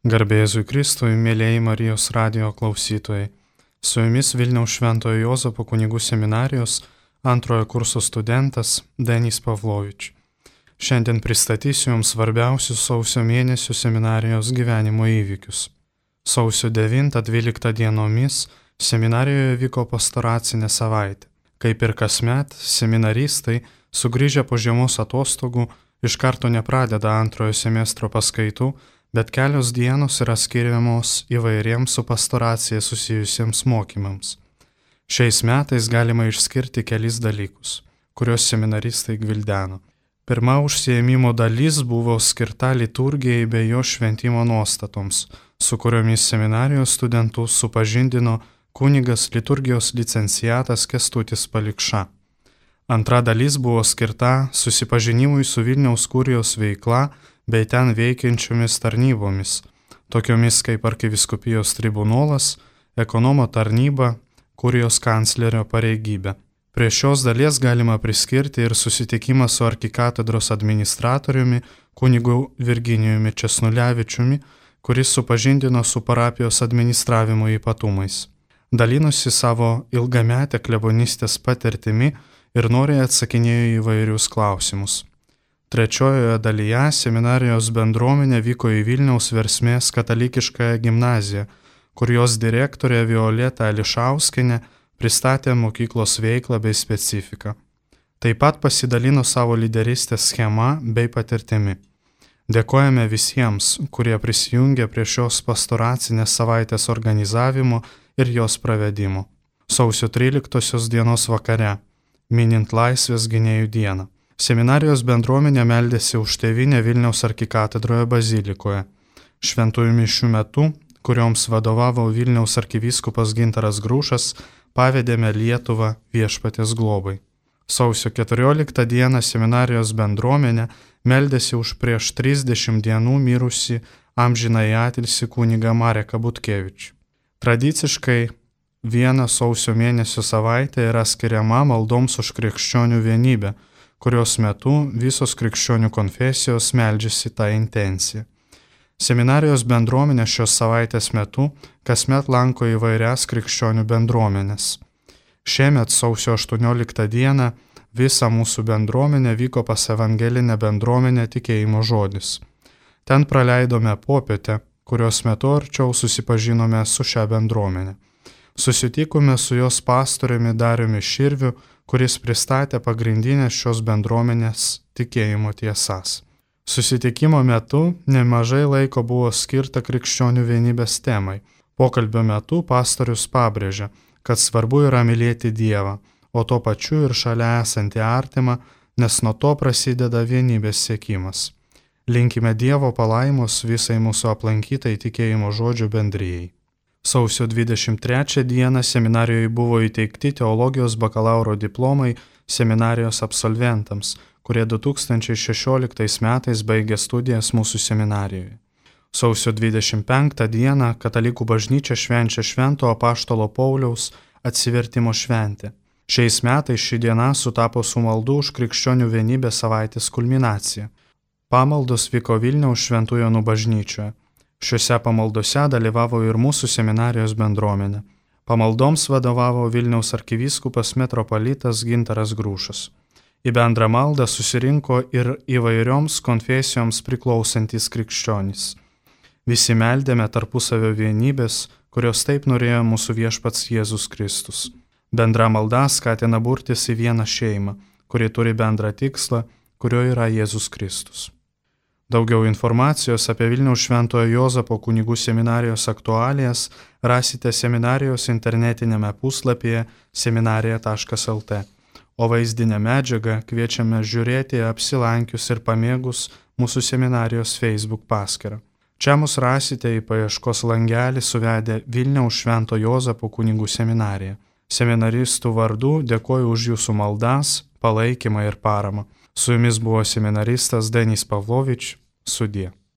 Garbėzui Kristui, mėlėjai Marijos radijo klausytojai. Su jumis Vilniaus Šventojo Jozapo kunigų seminarijos antrojo kurso studentas Denis Pavlovič. Šiandien pristatysiu jums svarbiausius sausio mėnesio seminarijos gyvenimo įvykius. Sausio 9-12 dienomis seminarijoje vyko pastoracinė savaitė. Kaip ir kasmet, seminaristai, sugrįžę po žiemos atostogų, iš karto nepradeda antrojo semestro paskaitų, bet kelios dienos yra skiriamos įvairiems su pastoracija susijusiems mokymams. Šiais metais galima išskirti kelis dalykus, kuriuos seminaristai gvildeno. Pirma užsiėmimo dalis buvo skirta liturgijai bei jo šventimo nuostatoms, su kuriomis seminarijos studentus supažindino kunigas liturgijos licenciatas Kęstutis Palikša. Antra dalis buvo skirta susipažinimui su Vilniaus kurijos veikla bei ten veikiančiomis tarnybomis, tokiomis kaip arkivyskupijos tribunolas, ekonomo tarnyba, kurijos kanclerio pareigybė. Prie šios dalies galima priskirti ir susitikimą su arkikatedros administratoriumi kunigu Virginijumi Česnulevičiumi, kuris supažindino su parapijos administravimo ypatumais. Dalinosi savo ilgametę klebonistės patirtimi ir noriai atsakinėjo į įvairius klausimus. Trečiojoje dalyje seminarijos bendruomenė vyko į Vilniaus Versmės katalikiškąją gimnaziją, kur jos direktorė Violeta Ališauskienė pristatė mokyklos veiklą bei specifiką. Taip pat pasidalino savo lyderystės schema bei patirtimi. Dėkojame visiems, kurie prisijungė prie šios pastoracinės savaitės organizavimo ir jos pravedimo. Sausio 13 dienos vakare, minint Laisvės gynėjų dieną, seminarijos bendruomenė meldėsi už tėvynę Vilniaus arkikatedroje bazilikoje. Šventųjų mišių metu, kurioms vadovavo Vilniaus arkivyskupas Gintaras Grušas, pavedėme Lietuvą Viešpaties globai. Sausio 14 dieną seminarijos bendruomenė meldėsi už prieš 30 dienų mirusi amžinąjį atilsį kunigą Mareką Butkevičių. Tradiciškai viena sausio mėnesio savaitė yra skiriama maldoms už krikščionių vienybę, kurios metu visos krikščionių konfesijos meldžiasi tą intenciją. Seminarijos bendruomenė šios savaitės metu kasmet lanko įvairias krikščionių bendruomenės. Šiemet sausio 18 dieną visa mūsų bendruomenė vyko pas evangelinę bendruomenę Tikėjimo žodis. Ten praleidome popietę, kurios metu arčiau susipažinome su šią bendruomenę. Susitikome su jos pastoriumi Dariumi Širviu, kuris pristatė pagrindinės šios bendruomenės tikėjimo tiesas. Susitikimo metu nemažai laiko buvo skirta krikščionių vienybės temai. Pokalbio metu pastorius pabrėžė, kad svarbu yra mylėti Dievą, o tuo pačiu ir šalia esantį artimą, nes nuo to prasideda vienybės siekimas. Linkime Dievo palaimos visai mūsų aplankytai tikėjimo žodžių bendrijai. Sausio 23 dieną seminarijoje buvo įteikti teologijos bakalauro diplomai seminarijos absolventams, kurie 2016 metais baigė studijas mūsų seminarijoje. Sausio 25 dieną Katalikų bažnyčia švenčia Švento apaštalo Pauliaus atsivertimo šventę. Šiais metais ši diena sutapo su maldų už krikščionių vienybės savaitės kulminacija. Pamaldos vyko Vilniaus Šventų Jonų bažnyčioje. Šiuose pamaldose dalyvavo ir mūsų seminarijos bendruomenė. Pamaldoms vadovavo Vilniaus arkivyskupas metropolitas Gintaras Grušas. Į bendrą maldą susirinko ir įvairioms konfesijoms priklausantys krikščionys. Visi meldėme tarpusavio vienybės, kurios taip norėjo mūsų viešpats Jėzus Kristus. Bendra malda skatina burtis į vieną šeimą, kuri turi bendrą tikslą, kurio yra Jėzus Kristus. Daugiau informacijos apie Vilniaus Šventojo Jozapo kunigų seminarijos aktualijas rasite seminarijos internetinėme puslapyje seminarija.lt, o vaizdinę medžiagą kviečiame žiūrėti apsilankius ir pamėgus mūsų seminarijos Facebook paskyrą. Čia mus rasite į paieškos langelį suvedę Vilniaus Švento Jozapo kunigų seminariją. Seminaristų vardu dėkoju už jūsų maldas, palaikymą ir paramą. Su jumis buvo seminaristas Denis Pavlovič. Sudie.